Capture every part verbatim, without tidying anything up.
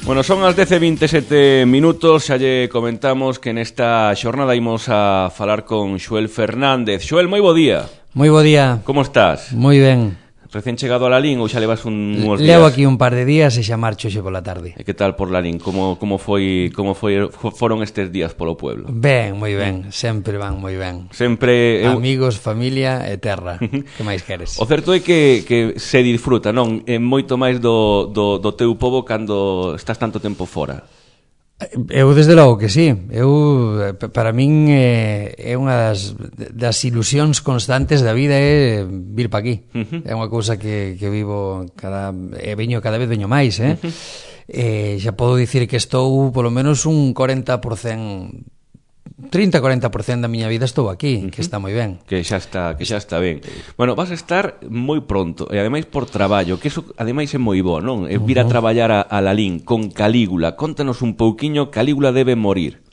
Bueno, son as dez e vinte e sete minutos, xa lle comentamos que nesta xornada imos a falar con Xoel Fernández. Xoel, moi bo día. Moi bo día. Como estás? Moi ben. Recén chegado a Lalín ou xa levas un, uns días? Levo aquí un par de días e xa marcho xe pola tarde. E que tal por Lalín? Como, como, foi, como foi, foron estes días polo pueblo? Ben, moi ben, sempre van moi ben. Sempre eu... Amigos, familia e terra. Que máis queres? O certo é que, que se disfruta, non? É moito máis do, do, do teu pobo cando estás tanto tempo fora. Eu desde logo que sí. Eu, para min é, é unha das, das ilusións constantes da vida é vir pa aquí. Uh-huh. É unha cousa que, que vivo cada, e veño cada vez veño máis, eh? Uh-huh. E xa podo dicir que estou polo menos un cuarenta por ciento trinta a cuarenta por ciento da miña vida estou aquí, uh-huh. que está moi ben. Que xa está, que xa está ben. Bueno, vas a estar moi pronto, e ademais por traballo, que eso ademais é moi bo, non? É vir a traballar a, a Lalín con Calígula. Contanos un pouquiño, Calígula debe morir.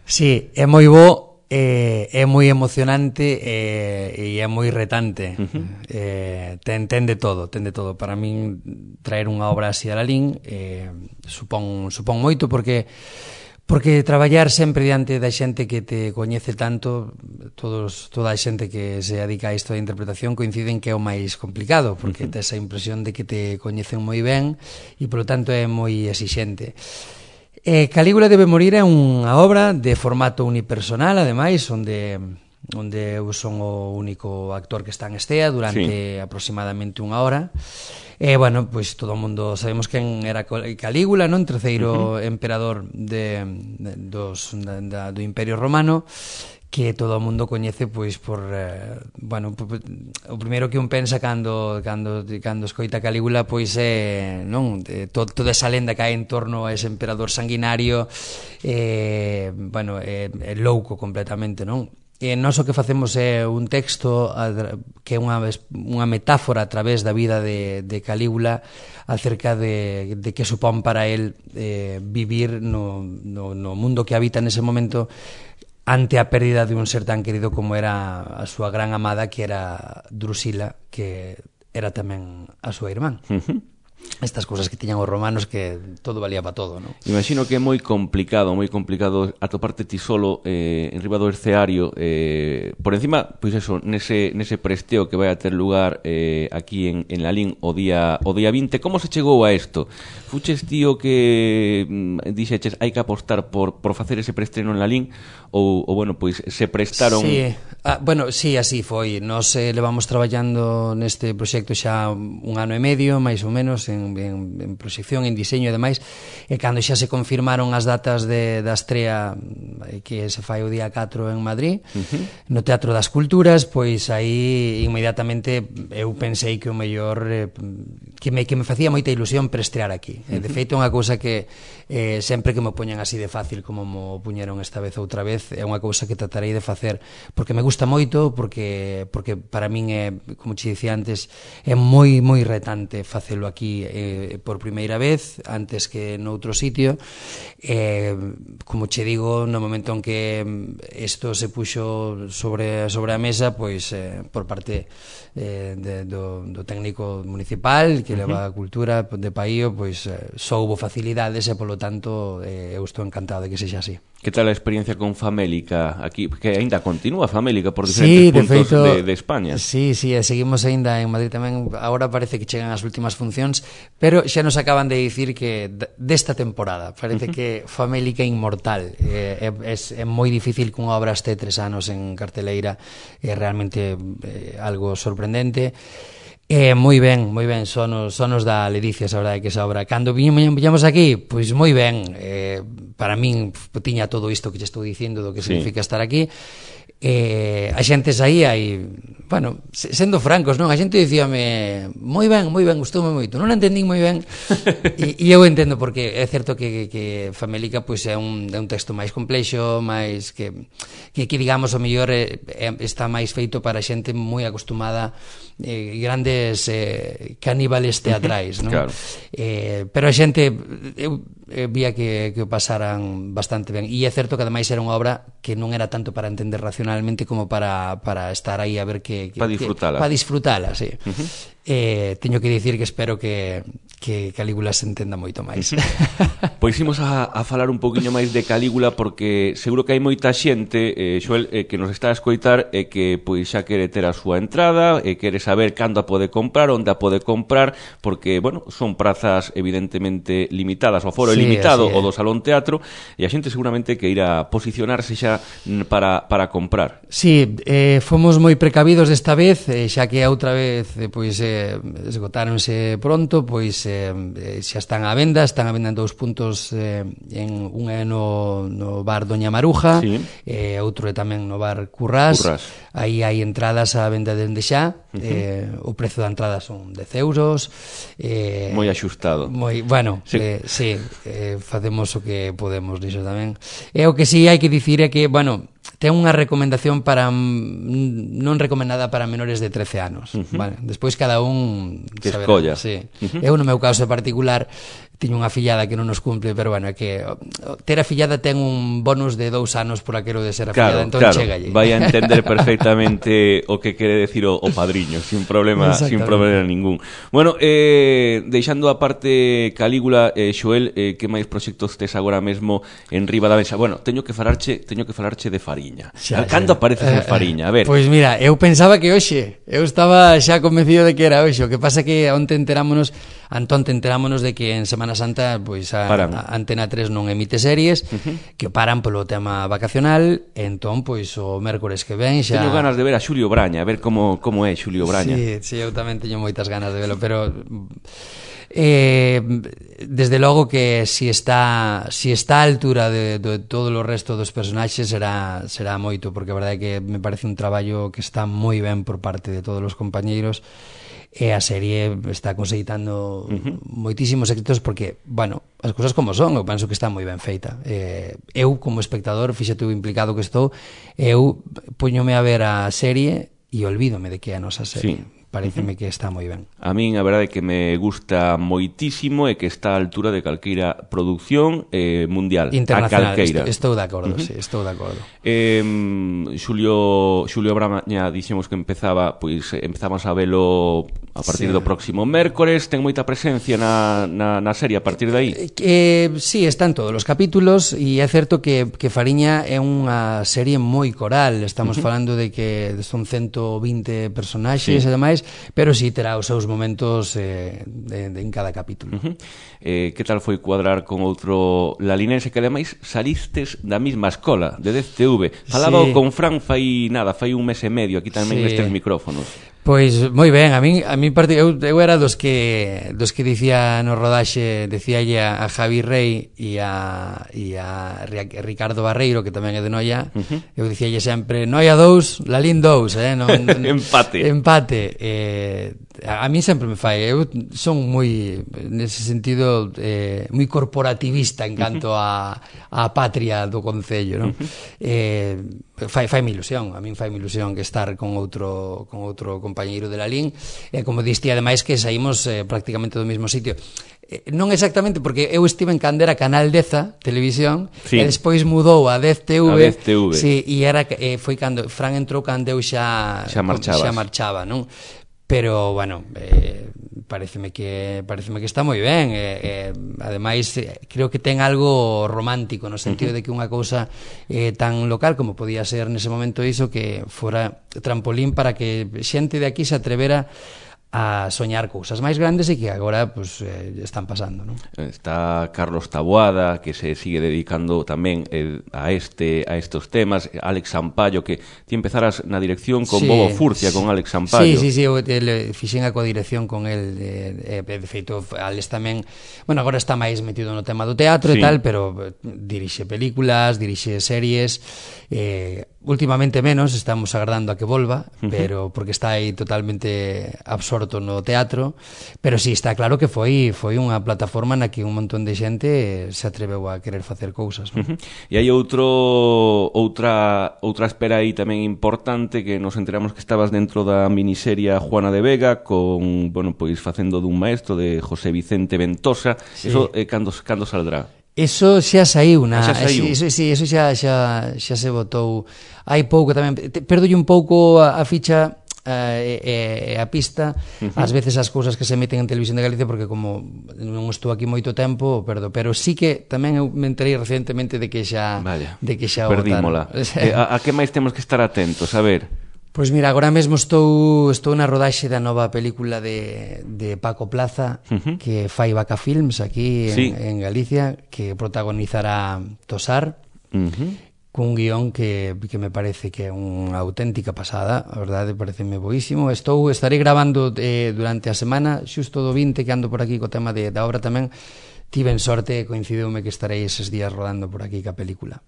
Sí, é moi bo, é, é moi emocionante e, e é moi retante. Uh-huh. Eh, ten, ten de todo, ten de todo. Para min traer unha obra así a Lalín eh, supón, supón moito porque Porque traballar sempre diante da xente que te coñece tanto, todos, toda a xente que se dedica a isto da interpretación coinciden que é o máis complicado, porque uh-huh. tes a impresión de que te coñecen moi ben e, polo tanto, é moi exixente. Eh, Calígula debe morir é unha obra de formato unipersonal, ademais, onde... onde eu son o único actor que está en estea durante sí. aproximadamente unha hora. E, bueno, pois todo o mundo sabemos quen era Calígula, non? Terceiro uh-huh. emperador de, de, dos, da, do Imperio Romano, que todo o mundo coñece pois por eh, bueno, por, o primeiro que un pensa cando cando cando escoita Calígula pois é, non, de, to, toda esa lenda que hai en torno a ese emperador sanguinario, eh, bueno, é, é louco completamente, non? E nós o que facemos é un texto que é unha, unha metáfora a través da vida de, de Calígula acerca de, de que supón para él eh, vivir no, no, no mundo que habita nese momento ante a pérdida de un ser tan querido como era a súa gran amada, que era Drusila, que era tamén a súa irmán. Uh-huh. Estas cousas que tiñan os romanos, que todo valía para todo, non? Imagino que é moi complicado, moi complicado atoparte ti solo eh, en riba do escenario, eh, por encima, pois eso, nese, nese presteo que vai a ter lugar eh, aquí en, en Lalín o día, o día vinte. Como se chegou a isto? Fuches tío que mm, dixeches hai que apostar por, por facer ese prestreno en Lalín ou, ou bueno, pois se prestaron... Sí, ah, bueno, sí, así foi. Nos eh, levamos traballando neste proxecto xa un ano e medio, máis ou menos, en, en, en proxección, en diseño e demais, e cando xa se confirmaron as datas de, da estrea que se fai o día catro en Madrid, uh-huh. no Teatro das Culturas, pois aí inmediatamente eu pensei que o mellor eh, que, me, que me facía moita ilusión preestrear aquí. Uh-huh. De feito, é unha cousa que eh, sempre que me poñan así de fácil como mo puñeron esta vez outra vez, é unha cousa que tratarei de facer porque me gusta moito, porque porque para min é, como che dicía antes, é moi moi retante facelo aquí eh, por primeira vez antes que noutro sitio. Eh, como che digo, no momento en que isto se puxo sobre sobre a mesa, pois eh, por parte eh, de, do, do técnico municipal que leva a cultura de Paío, pois eh, só houbo facilidades e polo tanto eh, eu estou encantado de que sexa así. Que tal a experiencia con Famélica aquí? Que aínda continúa Famélica por diferentes sí, de puntos feito, de, de España. Sí, sí, seguimos aínda en Madrid tamén. Agora parece que chegan as últimas funcións, pero xa nos acaban de dicir que desta temporada parece uh-huh. que Famélica inmortal. Eh, é, é, é moi difícil que unha obra este tres anos en carteleira, é realmente eh, algo sorprendente. Eh, moi ben, moi ben, sonos, sonos da ledicia, esa verdade que esa obra. Cando viñamos aquí, pois moi ben, eh, para min tiña todo isto que te estou dicindo do que sí. significa estar aquí. Eh, a xente saía e, bueno, sendo francos, non? A xente dicíame moi ben, moi ben, gustoume moito. Non entendín moi ben e, e eu entendo porque é certo que, que Famélica pois é un, é un texto máis complexo, máis que, que, que digamos, o mellor é, é, está máis feito para xente moi acostumada eh, grandes eh, caníbales teatrais, non? Claro. Eh, pero a xente eu, eh, vía que, que o pasaran bastante ben. E é certo que ademais era unha obra que non era tanto para entender racionalmente como para, para estar aí a ver que... que para disfrutala. Para disfrutala, sí. Uh-huh. Eh, teño que dicir que espero que, que Calígula se entenda moito máis. Pois imos a, a falar un poquinho máis de Calígula, porque seguro que hai moita xente, eh, Xoel, eh, que nos está a escoitar e eh, que pois xa quere ter a súa entrada e eh, quere saber cando a pode comprar, onde a pode comprar, porque, bueno, son prazas evidentemente limitadas, o foro é sí, limitado, o do Salón Teatro, e a xente seguramente que irá posicionarse xa para, para comprar. Sí, eh, fomos moi precavidos desta vez, eh, xa que a outra vez eh, pois eh, esgotáronse pronto, pois eh, xa están á venda, están á venda en dous puntos, eh, en un é no, no bar Doña Maruja, sí. eh, outro é tamén no bar Currás, Currás. Aí hai entradas á venda dende xa, uh-huh. eh, o prezo da entrada son dez euros, eh, moi axustado. Moi, bueno, sí, eh, sí eh, facemos o que podemos diso tamén. E o que si sí hai que dicir é que, bueno, ten unha recomendación para non recomendada para menores de trece anos, uh-huh. vale? Despois cada un que escolla. Sí. Uh-huh. Eu no meu caso particular tiño unha fillada que non nos cumple, pero bueno, é que ter a fillada ten un bonus de dous anos por aquilo de ser a claro, fillada, entón claro. chégalle. Vai a entender perfectamente o que quere decir o, o padriño, sin problema, sin problema ningún. Bueno, eh, deixando a parte Calígula, eh, Xoel, eh, que máis proxectos tes agora mesmo en riba da mesa? Bueno, teño que falarche, teño que falarche de Fariña. Xa, cando xa. Apareces en Fariña? A ver. Pois pues mira, eu pensaba que hoxe, eu estaba xa convencido de que era hoxe, o que pasa que onte enterámonos, Antón, enterámonos de que en Semana Santa pois a, a Antena tres non emite series, uh-huh. que paran polo tema vacacional, entón pois o mércores que ven xa... Teño ganas de ver a Xulio Braña, a ver como como é Xulio Braña. Sí, sí, eu tamén teño moitas ganas de verlo, pero eh, desde logo que si está si está a altura de, de todo o resto dos personaxes será será moito, porque a verdade é que me parece un traballo que está moi ben por parte de todos os compañeiros. E a serie está conseguitando uh-huh. moitísimos éxitos porque, bueno, as cousas como son, eu penso que está moi ben feita. Eh, eu, como espectador, fíxate o implicado que estou, eu poñome a ver a serie e olvídome de que é a nosa serie. Sí. Pareceme uh-huh. que está moi ben. A min a verdade é que me gusta moitísimo e que está a altura de calqueira produción eh, mundial. Internacional, estou, estou de acordo, uh-huh. sí, estou de acordo. Eh, Xulio, Xulio Braña dixemos que empezaba, pois empezamos a velo a partir sí. do próximo mércores, ten moita presencia na, na, na serie a partir de aí? Eh, sí, están todos os capítulos e é certo que, que Fariña é unha serie moi coral, estamos uh-huh. falando de que son ciento vinte personaxes sí. e demais, pero si sí, terá os seus momentos eh, de, de, en cada capítulo. Uh-huh. eh, que tal foi cuadrar con outro lalinense que ademais salistes da mesma escola de D T V? Falaba sí. con Fran fai nada, fai un mes e medio aquí tamén sí. nestes micrófonos. Pois moi ben, a min a min parte eu, eu era dos que dos que dicía no rodaxe, decíalle a, a Javi Rey e a e a Ricardo Barreiro, que tamén é de Noia, uh-huh. eu dicíalle sempre Noia dous, Lalín dous, eh, non, non, empate. Empate. Eh, a, a mí sempre me fai, eu son moi nese sentido eh, moi corporativista en canto a a patria do concello, non? Uh-huh. Eh, fai fai mi ilusión, a min fai mi ilusión que estar con outro con outro compañeiro de Lalín, e como diste ademais que saímos eh, prácticamente do mesmo sitio. Eh, non exactamente, porque eu estive en cando era Canal dez Televisión, sí. e despois mudou a dez T V, a dez T V. Sí, e era eh, foi cando Fran entrou cando eu xa xa, xa marchaba, non? Pero bueno, eh, pareceme que pareceme que está moi ben, eh, eh, ademais eh, creo que ten algo romántico no sentido uh-huh. de que unha cousa eh, tan local como podía ser nese momento iso, que fora trampolín para que xente de aquí se atrevera a soñar cousas máis grandes e que agora pues, eh, están pasando, non? Está Carlos Taboada, que se sigue dedicando tamén eh, a este a estos temas, Alex Sampaio, que ti empezaras na dirección con sí, Bobo Furcia, sí, con Alex Sampaio. Sí, sí, sí, eu ele, fixen a codirección con el, eh, eh, de feito, Alex tamén, bueno, agora está máis metido no tema do teatro sí. e tal, pero dirixe películas, dirixe series, eh, últimamente menos, estamos agardando a que volva, uh-huh. pero porque está aí totalmente absorto no teatro, pero sí, está claro que foi foi unha plataforma na que un montón de xente se atreveu a querer facer cousas, non? Uh-huh. E hai outro outra outra espera aí tamén importante, que nos enteramos que estabas dentro da miniserie Juana de Vega con, bueno, pois facendo dun maestro de José Vicente Ventosa. Sí. Eso eh, cando cando saldrá? Eso xa saiu na, ah, xa saiu. Eso, sí, eso xa, xa, xa se botou hai pouco tamén, perdolle un pouco a, a ficha e eh, eh, a pista, uh-huh. ás veces as cousas que se meten en Televisión de Galicia, porque como non estou aquí moito tempo, perdo, pero sí que tamén eu me enterei recientemente de que xa Vaya, de que xa perdímola. eh, a, a que máis temos que estar atentos? A ver. Pois mira, agora mesmo estou estou na rodaxe da nova película de, de Paco Plaza, uh-huh. que fai Vaca Films aquí en, sí. en Galicia, que protagonizará Tosar. Uh-huh. Cun guión que, que me parece que é unha auténtica pasada, a verdade, pareceme boísimo. Estou, estarei grabando eh, durante a semana, xusto do vinte, que ando por aquí co tema de, da obra tamén. Tiven sorte, coincideume que estarei eses días rodando por aquí ca película.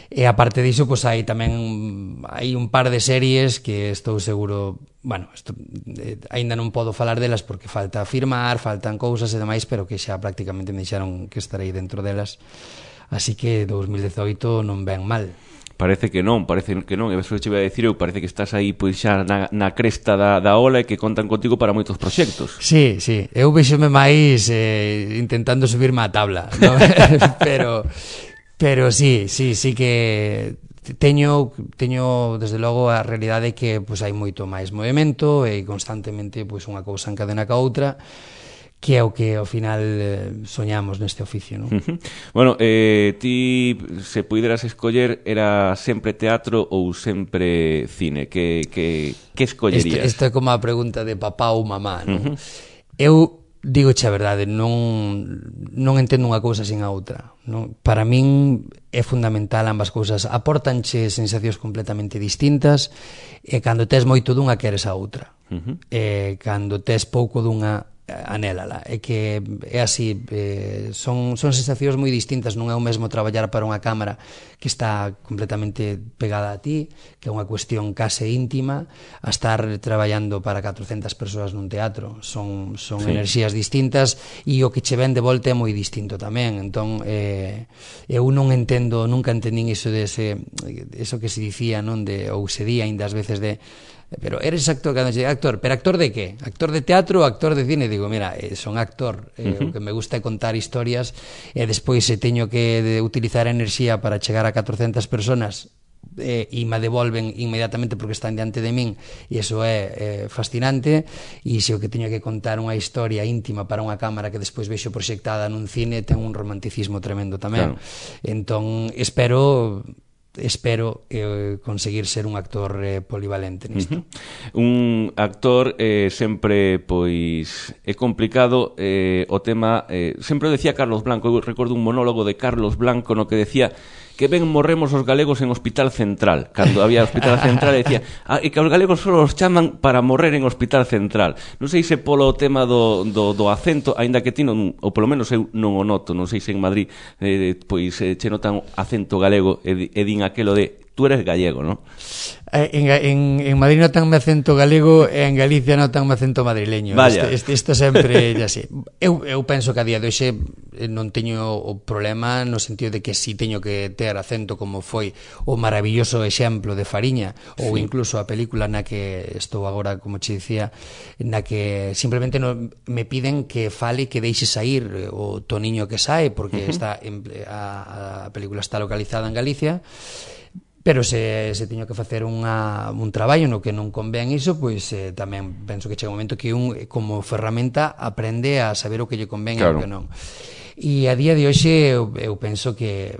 E aparte diso, pois hai tamén hai un par de series que estou seguro, bueno, esto, eh, ainda non podo falar delas porque falta firmar, faltan cousas e demais, pero que xa prácticamente me dixeron que estarei dentro delas. Así que dos mil dezoito non ven mal. Parece que non, parece que non. E eso che iba a dicir eu, parece que estás aí pois xa na, na cresta da, da ola e que contan contigo para moitos proxectos. Sí, sí, eu vexome máis eh, intentando subirme á tabla, ¿no? pero pero sí, sí, sí que teño teño desde logo a realidade que pois hai moito máis movemento e constantemente pois unha cousa encadena ca outra, que é o que ao final eh, soñamos neste oficio, non? Uh-huh. Bueno, eh, ti se puideras escoller, era sempre teatro ou sempre cine? Que, que, que escollerías? Isto é como a pregunta de papá ou mamá, non? Uh-huh. Eu digo a verdade, non non entendo unha cousa sin a outra, non? Para min é fundamental ambas cousas, aportanche sensacións completamente distintas e cando tes moito dunha queres a outra. Uh-huh. E cando tes pouco dunha anélala, é que é así, eh, son, son sensacións moi distintas, non é o mesmo traballar para unha cámara que está completamente pegada a ti, que é unha cuestión case íntima, a estar traballando para catrocentas persoas nun teatro, son, son sí. enerxías distintas e o que che ven de volta é moi distinto tamén, entón eh, eu non entendo, nunca entendín iso de ese, eso que se dicía, non, de, ou se di ainda ás veces de pero eres actor, cando che actor, pero actor de que? Actor de teatro ou actor de cine? Digo, mira, eh, son actor, eh, uh-huh. o que me gusta é contar historias e despois se teño que de, utilizar a enerxía para chegar a catrocentas personas eh, e me devolven inmediatamente porque están diante de min e iso é eh, fascinante, e se o que teño que contar unha historia íntima para unha cámara que despois vexo proxectada nun cine ten un romanticismo tremendo tamén, claro. Entón espero espero eh, conseguir ser un actor eh, polivalente nisto. Uh-huh. Un actor eh, sempre pois é complicado eh, o tema, eh, sempre decía Carlos Blanco, eu recordo un monólogo de Carlos Blanco no que decía que ben morremos os galegos en Hospital Central. Cando había Hospital Central decía ah, e que os galegos só os chaman para morrer en Hospital Central. Non sei se polo tema do, do, do acento, aínda que ti non, ou polo menos eu non o noto, non sei se en Madrid eh, pois eh, che notan acento galego e, e din aquelo de tú eres gallego, non? En, en, en Madrid notanme acento galego e en Galicia notanme acento madrileño. Vaya. Isto, isto sempre é así. Eu, eu penso que a día de hoxe non teño o problema no sentido de que si teño que ter acento, como foi o maravilloso exemplo de Fariña, ou sí. incluso a película na que estou agora, como che dicía, na que simplemente no, me piden que fale, que deixe sair o toniño que sae, porque uh-huh. está en, a, a película está localizada en Galicia. Pero se, se teño que facer unha, un traballo no que non convén iso, pois eh, tamén penso que chega un momento que un, como ferramenta, aprende a saber o que lle convén claro. e o que non. E a día de hoxe eu, eu penso que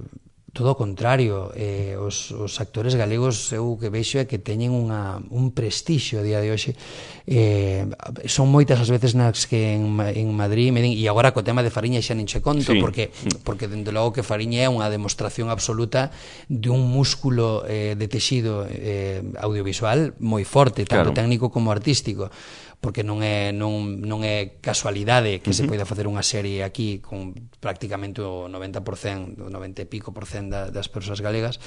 todo o contrario, eh, os, os actores galegos eu que vexo é que teñen unha, un prestixio a día de hoxe. Eh, son moitas as veces nas que en, en Madrid me din, e agora co tema de Fariña xa nin che conto, sí. porque, porque dende logo que Fariña é unha demostración absoluta de un músculo eh, de texido eh, audiovisual moi forte, tanto claro. técnico como artístico, porque non é non, non é casualidade que uh-huh. se poida facer unha serie aquí con prácticamente o noventa por cento, o noventa e pico por cento da, das persoas galegas.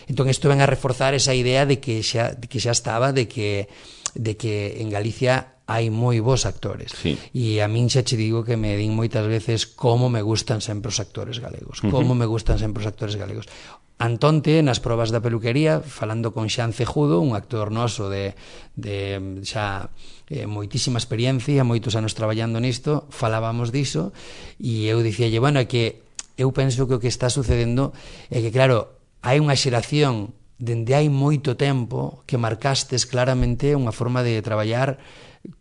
Entón isto ven a reforzar esa idea de que xa, de que xa estaba de que, de que en Galicia hai moi bons actores. Sí. E a min xa che digo que me din moitas veces como me gustan sempre os actores galegos, uh-huh. como me gustan sempre os actores galegos. Antonte, nas probas da peluquería, falando con Xan Cejudo, un actor noso de, de xa eh, moitísima experiencia, moitos anos traballando nisto, falábamos diso, e eu dicíalle, bueno, é que eu penso que o que está sucedendo é que, claro, hai unha xeración dende hai moito tempo que marcastes claramente unha forma de traballar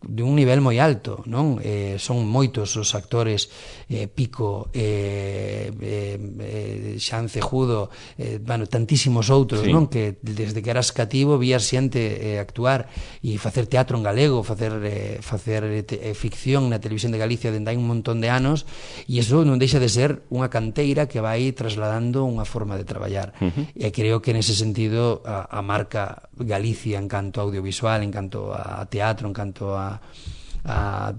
de un nivel moi alto, non? Eh, son moitos os actores, eh, Pico, eh, eh, eh, Xan Cejudo, eh, bueno, tantísimos outros, sí, non? Que desde que eras cativo vías xente eh, actuar e facer teatro en galego, facer eh, facer te, eh, ficción na televisión de Galicia dende hai un montón de anos, e iso non deixa de ser unha canteira que vai trasladando unha forma de traballar. Uh-huh. E creo que nese sentido a, a marca Galicia en canto a audiovisual, en canto a teatro, en canto a, a,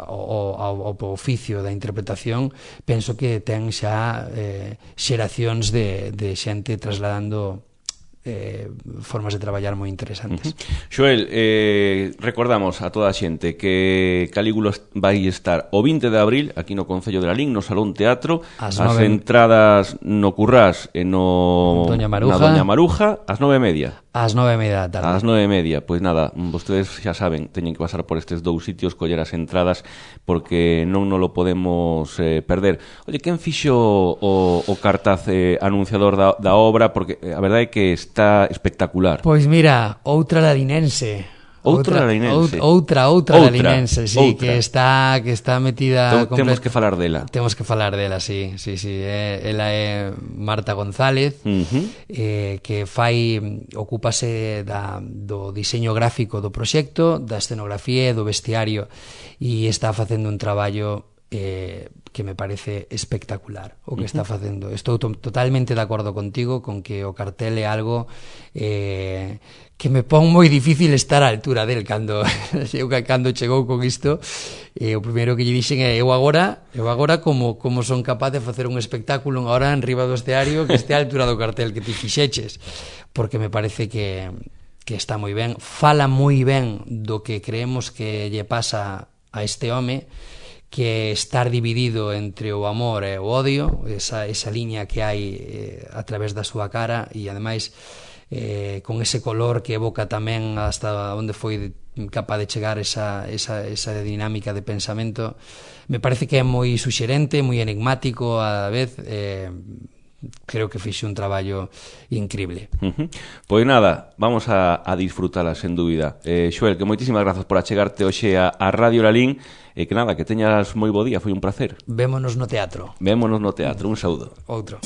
ao, ao, ao oficio da interpretación, penso que ten xa eh, xeracións de, de xente trasladando eh, formas de traballar moi interesantes. Uh-huh. Xoel, eh, recordamos a toda a xente que Calígula vai estar o vinte de abril aquí no Concello de Lalín, no Salón Teatro, as, as nove... entradas no Currás e no Doña Maruja, na Doña Maruja, ás nove e media. Ás nove e media da tarde. Ás nove e media, pois nada, vostedes xa saben, teñen que pasar por estes dous sitios, coller as entradas, porque non nos lo podemos eh, perder. Oye, quen fixo o, o cartaz eh, anunciador da, da obra? Porque a verdade é que está espectacular. Pois mira, outra lalinense. Outra lalinense. Outra, outra, outra lalinense, sí, outra. que está que está metida... Tem, complet... Temos que falar dela. Temos que falar dela, sí, sí, sí. Eh, ela é Marta González, uh-huh. eh, que fai, ocúpase da, do diseño gráfico do proxecto, da escenografía e do vestiario, e está facendo un traballo eh, que me parece espectacular o que uh-huh. está facendo. Estou to- totalmente de acordo contigo con que o cartel é algo eh, que me pon moi difícil estar á altura del cando eu cando chegou con isto. Eh, o primeiro que lle dixen é eu agora, eu agora como como son capaz de facer un espectáculo agora en riba do escenario que este á altura do cartel que ti fixeches, porque me parece que que está moi ben, fala moi ben do que creemos que lle pasa a este home, que estar dividido entre o amor e o odio, esa, esa liña que hai eh, a través da súa cara, e ademais eh, con ese color que evoca tamén hasta onde foi capaz de chegar esa, esa, esa dinámica de pensamento. Me parece que é moi suxerente, moi enigmático a vez. eh, creo que fixe un traballo increíble. Uh-huh. Pois nada, vamos a, a disfrutala sen dúbida. eh, Xoel, que moitísimas grazas por achegarte hoxe a, a Radio Lalín, e que nada, que teñas moi bo día, foi un placer. Vémonos no teatro. Vémonos no teatro, un saúdo. Outro.